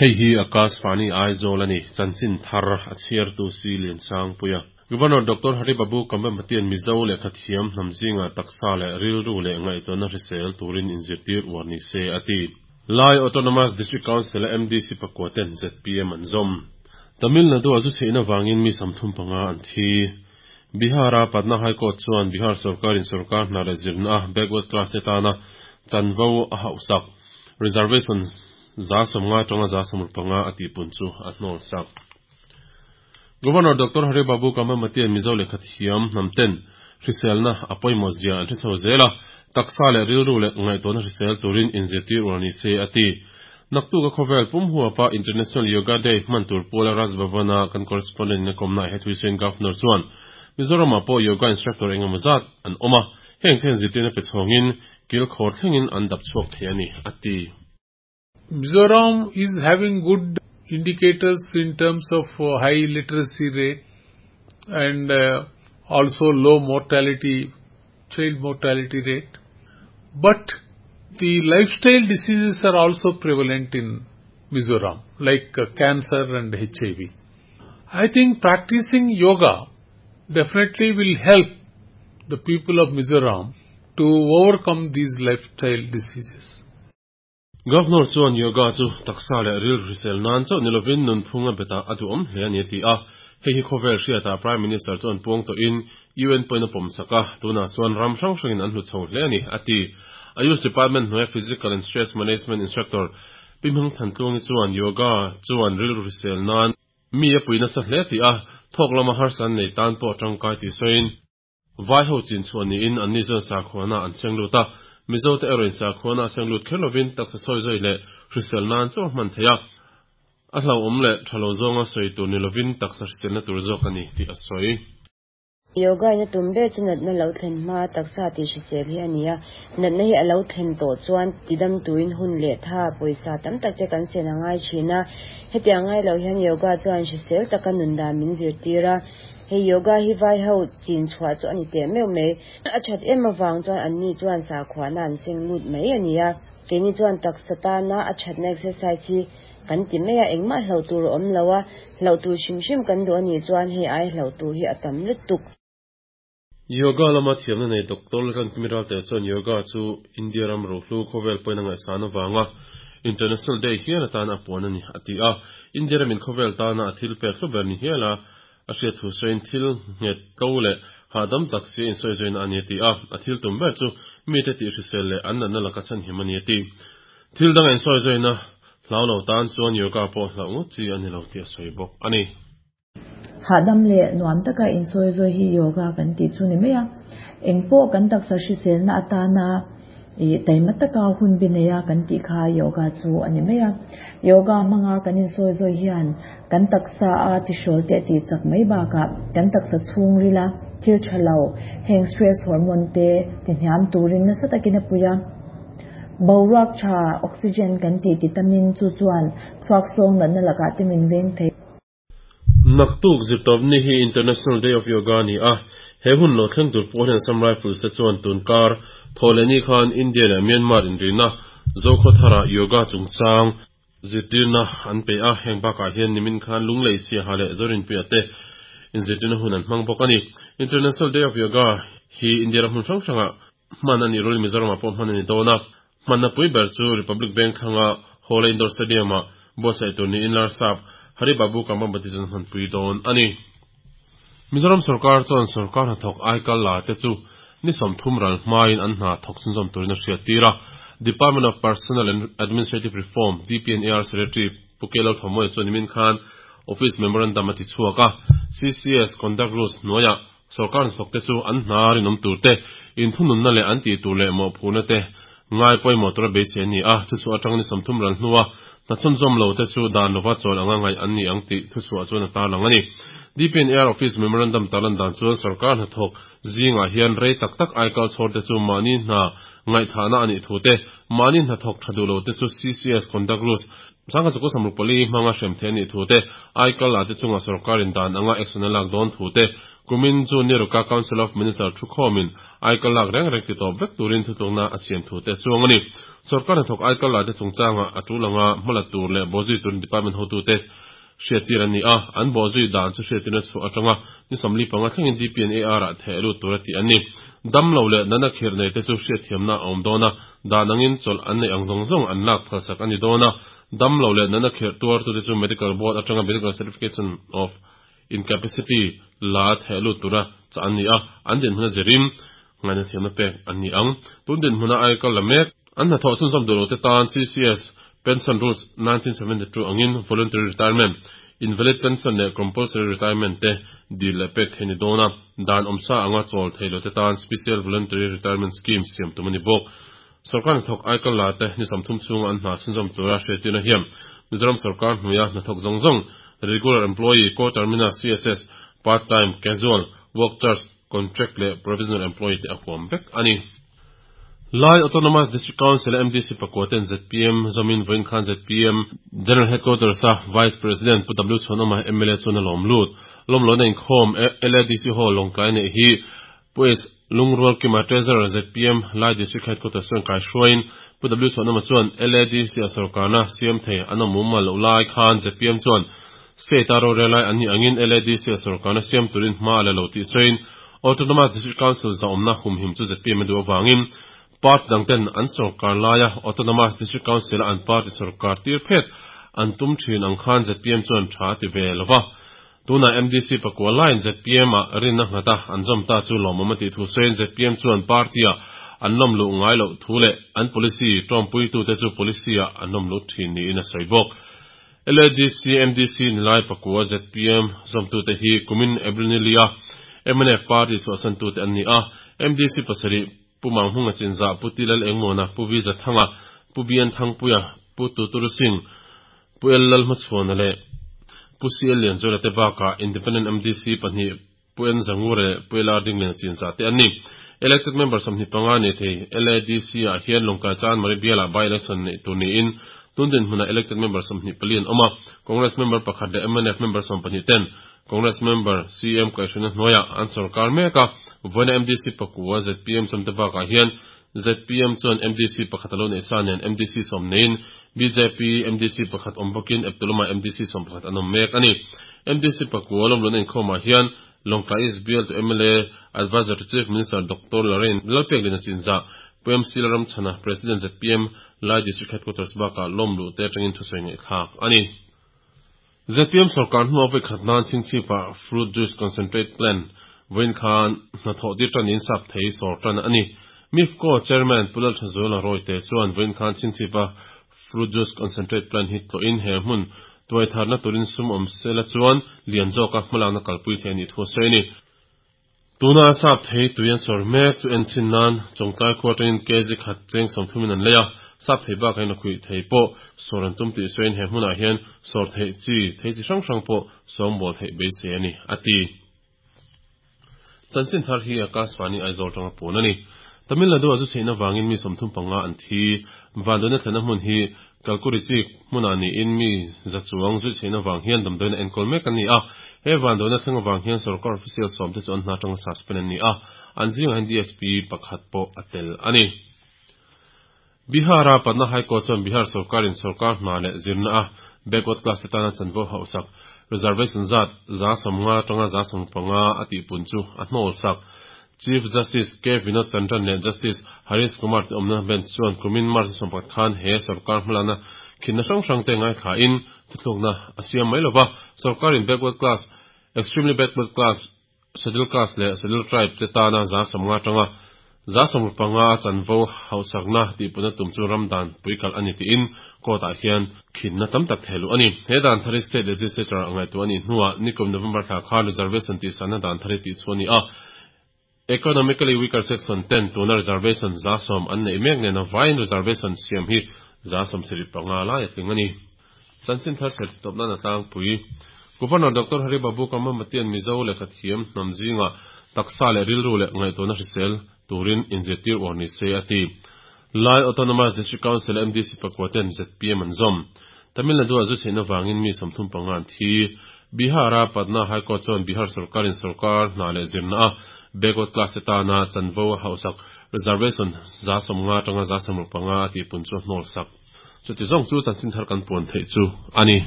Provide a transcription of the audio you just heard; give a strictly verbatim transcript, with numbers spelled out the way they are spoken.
Hei hi Akashvani Aizawl ani chanchin thar a chhiartu si Liansangpuia. Governor Doctor Hari Babu Kambhampati-an Mizo lehkha thiam hnam zinga taksa leh rilru leh ngaihtuahna hrisel turin inzirtir uar ni se a ti. Lai Autonomous District Council a M D C pakua ten Z P M an zawm. Tamil Nadu a zu chheihna vangin mi sawmthum panga an thi. Bihar-a Patna High Court chuan Bihar sorkarin sorkar hna leh zirna a backward class te tana chanvo a hauhsak reservation za sawmnga atanga za sawmruk panga a tihpun chu a hnawl sak. Governor Doctor Hari Babu Kambhampati-an Mizo lehkha thiam hnam ten hriselna a pawimawh zia an hre chho zel a, taksa leh rilru leh ngaihtuahna hrisel turin inzirtir uar ni se a ti. Naktuk a khawvel pum huapa International Yoga Day hman tur puala Raj Bhavan-a kan correspondent in a kawmna he thuisawiin Governor chuan Mizoram ah pawh yoga instructor engemaw zat an awm a, heng ten zirtirna pe chhawngin kil khawr thlengin an dap chhuak thei a ni a ti. Mizoram is having good indicators in terms of high literacy rate and uh, also low mortality, child mortality rate. But the lifestyle diseases are also prevalent in Mizoram, like uh, cancer and H I V. I think practicing yoga definitely will help the people of Mizoram to overcome these lifestyle diseases. Governor chuan yoga chu taksa leh rilru hrisel nan chauh nilovin nunphung a beta a duhawm hle a ni a ti a. Hei hi khawvel hriata Prime Minister chuan puang tawhin U N pawhin a pawm sak a, tunah chuan ram hrang hrangin an hlu chho hle a ni a ti. Ayush Department hnuaia Physical and Stress Management Instructor Pi Hming Thantlungi chuan yoga chuan rilru hrisel nan mi a pui nasa hle ti a, thawk lama harsa an nei tan pawh tangkai ti sawiin vai ho chin chuan niin an ni chuan sakhuana an seng lut a, Mizo te erawhin sakhuana a seng lut kher lovin taksa sawi zawi leh hrisel nan chaw hman thei a, a hlauhawm leh tha lo zawnga sawi tur ni lovin taksa hriselna tur zawk a ni tih a sawi. Yoga ina tum ber chu natna lo thlen hma taksa ti hrisel hi a ni a, natna hi a lo thlen tawh chuan tidam turin hun leh tha pawisa tam tak te kan sen a ngai thin a. Hetiang ngai lo hian yoga chuan hrisel taka nun dan min zirtir a. Hei yoga hi vai ho chin chhuah chu a ni teh meuh mai. A that em awang chuan an ni chuan sakhuana an seng lut mai a ni a. Keini chuan taksa tana a thatna exercise hi kan ti mai a, engmah hlo tur a awm lo a, hlo tur hrim hrim kan duh a nih chuan hei ai hlo tur hi a tam lutuk. Yoga lama thiamna nei Doctor Laltlankimi Ralte chuan yoga chu India ram rohlu khawvel pawhin a ngaihsan awanga International Day hian atan a puan a ni a ti a. India ramin khawvel tana a thil pek hlu ber ni hial a a hriat thu sawiin thil nghet tlo leh hahdam tak si a insawi zawina a ni a ti a. A thil tum ber chu mite tih hrisel leh an natna laka chhan him a ni a ti. Thil dang a insawi zawina hlau lo tan chuan yoga pawh hlauh ngawt chi a ni lo tih a sawi bawk a ni. Hahdam leh nuam taka insawi zawi hi yoga kan tih chu ni mai a. Engpawh kan taksa hriselna atana i taima taka hun bi nei a kan tih kha yoga chu a ni mai a. Yoga hmanga kan insawi zawi hian kan taksa a tihrawl te tih chak mai bakah kan taksa chhung rila thil tha lo heng stress hormone te ti hniam turin nasa takin a pui a. Boruak tha oxygen kan tih ti tamin chu chuan thluak sawng natna lakah te min veng thei. Naktuk zirtawp ni hi International Day of Yoga ni a, he hun lo thleng tur pawh hian Assam Rifles te chuan tunkar thawhlehni khan India leh Myanmar inrina Zokhawthara yoga chungchang zirtirna an pe a. Heng bakah hian nimin khan Lunglei Siaha leh Zorinpuia te inzirtirna hun an hmang bawk a ni. International Day of Yoga hi India ram hmun hrang hranga hman a nih rualin Mizoramah pawh hman a ni dawn a. Hmanna pui ber chu Republic Bank thlanga Hawla Indoor Stadium-ah buatsaih tur niin Larsap Hari Babu Kambhampati chuan hman pui dawn a ni. Mizoram sorkar chuan sorkar hnathawk aikal la te chu ni sawmthum ral hmain an hna thawk chhunzawm turin a hriat tir a. Department of Personnel and Administrative Reform D P and A R Secretary Pu K Lalthamuai chuan nimin khan Office Memorandum a ti chhuak a. C C S Conduct Rules hnuaiah sorkar hnathawk te chu an hna rinawm tur te, inthununna leh an tih tur leh mawhphurna te ngai pawimawh tura beisei a ni a. Thu chhuah atang ni sawmthum ral hnua hna chhunzawm lo te chu dan lova chawl anga ngaih an ni ang tih thu chhuah chuan a tarlang a ni. D P and A R Office Memorandum tarlan dan chuan sorkar hnathawk zingah hian rei tak tak aikal chhawr te chu mahni hna ngaihthahna a nih thu te, mahni hnathawk tha duh lo te chu C C S Conduct Rules sangkhat zakua sawmruk pali hmanga hrem thei a nih thu te, aikal la te chunga sorkarin dan anga action a lak dawn thu te, Kumin June ni ruka Council of Minister thukhomin aikal lak reng reng ti tawp vek turin thutlukna a siam thu te chuang ani. Sarkar hnathawk aikal la te chungchanga a tulanga hmala tur leh bawhzui turin department hotu te hriattir an ni a, an bawhzui dan chu hriattirna chhuah atanga ni sawmli panga thlengin D P and A R ah theh lut tur a tih an ni. Dam lo leh nana khir nei te chu hriatthiamna a awm dawn a, dan angin chawlh an nei ang zawng zawng an lak phalsak a ni dawn a. Dam lo leh nana khir tuar tu te chu medical board atanga medical certification of incapacity la theh lut tura cha an ni a, an din hmuna zirin ngaina thiamna pek an ni ang. Tun din hmuna aikal la mek an hnathawh chhunzawm duh lo te tan C C S Pension Rules nineteen seventy-two angin voluntary retirement, invalid pension leh compulsory retirement te dil leh pek thei ni dawn a, dan awmsa anga chawl thei lo te tan special voluntary retirement scheme siam tum a ni bawk. Sarkar hnathawk aikal la te ni sawmthum chhunga an hna chhunzawm tura hriattirna hian Mizoram sarkar hnuaia hnathawk zawng zawng regular employee, co-terminal, C S S, part-time, casual, work charge, contract leh provisional employee te a huam vek ani. Lai Autonomous District Council M D C pakua ten Z P M Zomin Voin Khan Z P M General Headquarters a Vice President Pu W Chhuanawma M L A chuan a lawm lut. Lawm lo na inkhawm L A D C Hall Lawngtlai nei hi Pu S Lungrual Kima Treasurer Z P M Lai District Headquarters chuan kai hruain Pu W Chhuanawma chuan L A D C a sarkarna C M thei an awm muma lo lai khan Z P M chuan state a rorel lai an ni angin L A D C a sarkarna siam turin hma la lo tih sawiin Autonomous District Council zaawmna humhim chu Z P M a duh awangin Part dangten an sarkar laia Autonomous District Council an party sarkar tir phet an tum thin ang khan Z P M chuan tha ti ve lova. Tuna M D C pakua line Z P M a rinna nghata an zawm ta chu lawmawm a tih thu sawiin Z P M chuan party a an lawm luh ngai loh thu leh an policy tawmpui tu te chu policy a an lawm luh thin niin a sawi bawk. L A D C M D C nilai pakua Z P M zawm tu te hi kumin April ni lia M N F party chu asan tu te an ni a. M D C pasarih Pu Manghunga Chinza, Pu Tilal Engmona, Pu Viza Thanga, Pu Bian Thangpuia, Pu Tuturu Singh, Pu El Lal Hmachhuana leh Pu C L Lianzuala te bakah Independent M D C pahnih Pu N Zangura leh Pu L R Dingliana Chinza te an ni. Elected member sawmhnih panga nei thei L A D C ah hian Lawngtlai Chan Mari Biala by election nei tur niin tundin hmuna elected member sawmhnih pali an awm a. Congress member pakhat leh M N F member sawm pahnih ten Congress member C M kaihhruna hnuaiah an sarkar mek a. Voina M D C pakua Z P M sawmte bakah hian Z P M chuan M D C pakhat alo nei sa nen M D C sawm neiin B J P M D C pakhat awm bawkin Eptuluma M D C sawm pakhat an awm mek ani. M D C pakua lawm lun a inkhawmah hian Lawngtlai East Bial to M L A Advisor to Chief Minister Doctor Lorraine Lalpeklina Chinza Pu M C Lalramchhana President Z P M Lai District Headquarters bakah lawm luh te atangin thusawi ngaih thlak ani. Z P M sarkar hnuah voi khat nan Chingchhipa fruit juice concentrate plant Voin khan hnathawh tir tanin sap thei sawr tan ani. MIFCO Chairman Pu Lalthazuala Roy te chuan Voin khan Chingchhipa fruit juice concentrate plant hi tawhin he hmun tuai tharna turin sum awm sela chuan lian zawka hmalakna kalpui thei ani thu sawi ani. Tuna sap thei tuian sawr mek chu en chin nan chawngtlai khua atangin kg khat cheng sawmthumin an lei a. Sap thei bakah hian a khuih thei pawh sawr an tum tih sawiin he hmunah hian sawr theih chi thei chi hrang hrang pawh sawmbawl theih beisei ani a ti. Chanchin thar hi Akashvani Aizawl tanga pawn ani. Tamil Nadu a chu chheihna wangin mi sawmthum panga an thi. Vanduaina thlena hmun hi Kalkurichi hmunah niin mi zachuang zui chheihna wang hian damdawiina enkawl mek an ni a. He vanduaina thlenga wang hian sarkar official sawm te chu an hna tanga suspend an ni a. An zingah hian D S P pakhat pawh a tel ani. Bihara Patna High Court chuan Bihar sarkarin sarkar hna leh zirna a backward class te tana chanvo hausak reservation zat za sawmnga tanga za sawm panga a tihpun chu a hnawl sak. Chief Justice K Vinod Chandran leh Justice Harish Kumar te awmna bench chuan kumin March sawm pakhat khan he sarkar hmalakna khinna hrang hrang te ngai kha in thuthlukna a siam mai lova. Sarkarin backward class, extremely backward class, scheduled caste leh scheduled tribe te tana za sawmnga tanga za sawm panga chanvo hausakna tihpuna tum chu ramdan puikal ani tiin court ah hian khinna tam tak theilu ani. He dan thari state legislature angai tu ani hnuah nikum November thla khan reservation tih sanna dan thari tih chu ani a. Economically weaker section ten tuna reservation za sawm an nei mek nena vain reservation siam hi za sawm sarih panga lai a tling ani. Chanchin thar ser tawpna na tlangpui Governor Doctor Hari Babu Kambhampati Mizo lehkha thiam hnam zinga taksa leh rilru leh ngaihtuahna hrisel turin inzirtir uar ni se a ti. Lai Autonomous District Council M D C pakua ten Z P M an zawm. Tamil Nadu a zu chheihna wangin mi sawmthum panga an thi. Bihar-a Patna High Court chuan Bihar sorkarin sorkar hna leh zirna-a backward class te tana chanvo a hauhsak reservation za sawmnga atanga za sawmruk panga a tihpun chu a hnawl sak. Chuti zawng chu chanchin thar kan puan theih chu a ni.